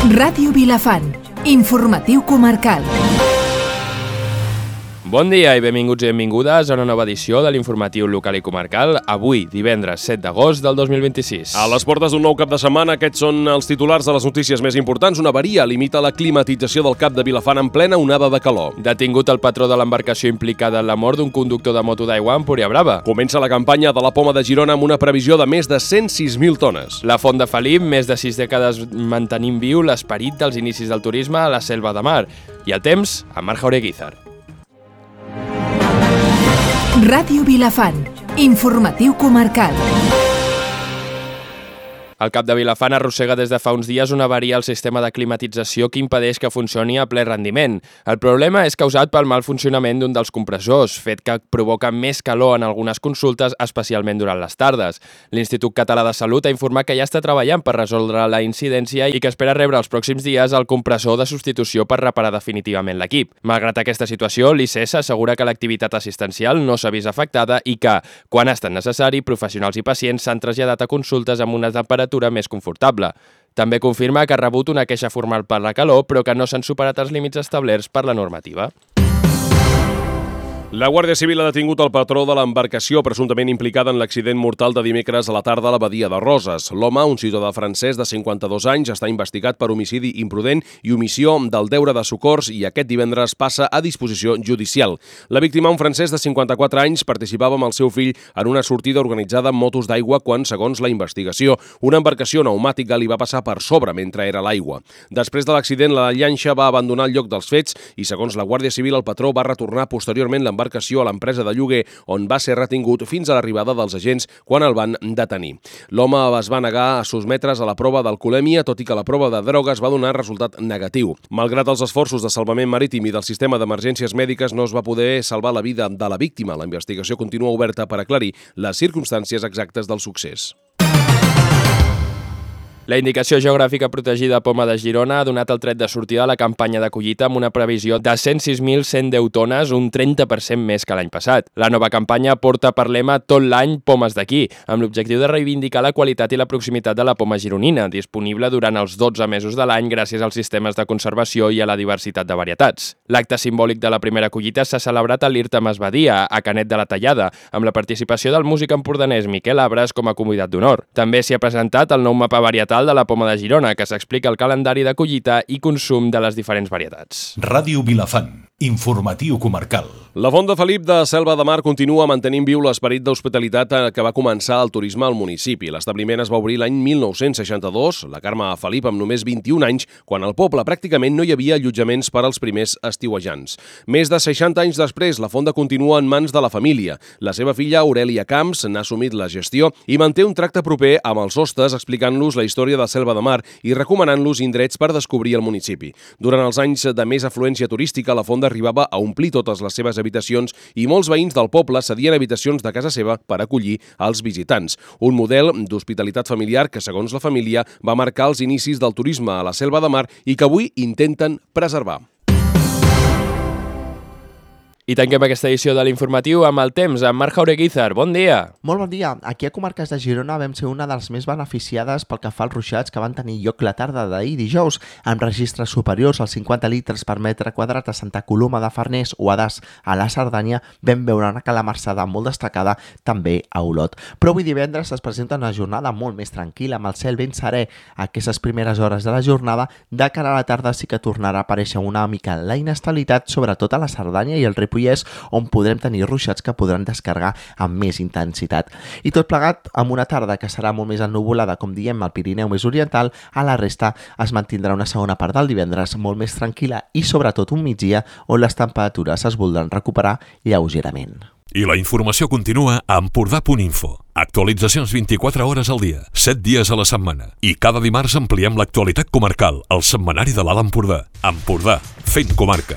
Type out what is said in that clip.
Ràdio Vilafant, informatiu comarcal. Bon dia i benvinguts i benvingudes a una nova edició de l'informatiu local i comarcal, avui, divendres 7 d'agost del 2026. A les portes d'un nou cap de setmana, aquests són els titulars de les notícies més importants. Una avaria limita la climatització del Cap de Vilafant en plena onada de calor. Detingut el patró de l'embarcació implicada en la mort d'un conductor de moto d'aigua a Empúria Brava. Comença la campanya de la poma de Girona amb una previsió de més de 106.000 tones. La Font de Felip, més de 6 dècades mantenint viu l'esperit dels inicis del turisme a la Selva de Mar. I el temps, amb Marc Jaureguizar. Ràdio Vilafant, informatiu comarcal. El Cap de Vilafant arrossega des de fa uns dies una avaria al sistema de climatització que impedeix que funcioni a ple rendiment. El problema és causat pel mal funcionament d'un dels compressors, fet que provoca més calor en algunes consultes, especialment durant les tardes. L'Institut Català de Salut ha informat que ja està treballant per resoldre la incidència i que espera rebre els pròxims dies el compressor de substitució per reparar definitivament l'equip. Malgrat aquesta situació, l'ICES assegura que l'activitat assistencial no s'ha vist afectada i que, quan ha estat necessari, professionals i pacients s'han traslladat a consultes amb una temperatura més confortable. També confirma que ha rebut una queixa formal per la calor, però que no s'han superat els límits establerts per la normativa. La Guàrdia Civil ha detingut el patró de l'embarcació presumptament implicada en l'accident mortal de dimecres a la tarda a la badia de Roses. L'home, un ciutadà francès de 52 anys, està investigat per homicidi imprudent i omissió del deure de socors i aquest divendres passa a disposició judicial. La víctima, un francès de 54 anys, participava amb el seu fill en una sortida organitzada amb motos d'aigua quan, segons la investigació, una embarcació pneumàtica li va passar per sobre mentre era a l'aigua. Després de l'accident, la llanxa va abandonar el lloc dels fets i, segons la Guàrdia Civil, el patró va retornar posteriorment l'embarcació a l'empresa de lloguer on va ser retingut fins a l'arribada dels agents quan el van detenir. L'home es va negar a sotmetre's a la prova d'alcoholèmia, tot i que la prova de drogues va donar resultat negatiu. Malgrat els esforços de salvament marítim i del sistema d'emergències mèdiques, no es va poder salvar la vida de la víctima. La investigació continua oberta per aclarir les circumstàncies exactes del succés. La indicació geogràfica protegida Poma de Girona ha donat el tret de sortida a la campanya de collita amb una previsió de 106.110 tones, un 30% més que l'any passat. La nova campanya porta per lema tot l'any pomes d'aquí, amb l'objectiu de reivindicar la qualitat i la proximitat de la poma gironina, disponible durant els 12 mesos de l'any gràcies als sistemes de conservació i a la diversitat de varietats. L'acte simbòlic de la primera collita s'ha celebrat a l'Irta Masbadia, a Canet de la Tallada, amb la participació del músic empordanès Miquel Abres com a convidat d'honor. També s'hi ha presentat el nou mapa varietal de la poma de Girona, que s'explica el calendari de collita i consum de les diferents varietats. Ràdio Vilafant, informatiu comarcal. La Font de Felip de Selva de Mar continua mantenint viu l'esperit d'hospitalitat que va començar el turisme al municipi. L'establiment es va obrir l'any 1962, la Carme Felip amb només 21 anys, quan al poble pràcticament no hi havia allotjaments per als primers estiuejants. Més de 60 anys després, la fonda continua en mans de la família. La seva filla, Aurelia Camps, n'ha assumit la gestió i manté un tracte proper amb els hostes, explicant-los la història de Selva de Mar i recomanant-los indrets per descobrir el municipi. Durant els anys de més afluència turística, la fonda arribava a omplir totes les seves habitacions i molts veïns del poble cedien habitacions de casa seva per acollir els visitants. Un model d'hospitalitat familiar que, segons la família, va marcar els inicis del turisme a la Selva de Mar i que avui intenten preservar. I tanquem aquesta edició de l'informatiu amb el temps, amb Marc Jaureguizar. Bon dia! Molt bon dia. Aquí a Comarques de Girona vam ser una de les més beneficiades pel que fa als ruixats que van tenir lloc la tarda d'ahir dijous, amb registres superiors als 50 litres per metre quadrat a Santa Coloma de Farners o a Das, a la Cerdanya, vam veure una calamarsada molt destacada també a Olot. Però avui divendres es presenta una jornada molt més tranquil·la, amb el cel ben serè a aquestes primeres hores de la jornada. De cara a la tarda sí que tornarà a aparèixer una mica la inestabilitat, sobretot a la Cerdanya i el Ripollès, on podrem tenir ruixats que podran descarregar amb més intensitat. I tot plegat amb una tarda que serà molt més ennuvolada, com diem, al Pirineu més oriental. A la resta es mantindrà una segona part del divendres molt més tranquil·la i sobretot un migdia on les temperatures es voldran recuperar lleugerament. I la informació continua a Empordà.info. Actualitzacions 24 hores al dia, 7 dies a la setmana. I cada dimarts ampliem l'actualitat comarcal, al setmanari de l'Alt Empordà. Empordà, fent comarca.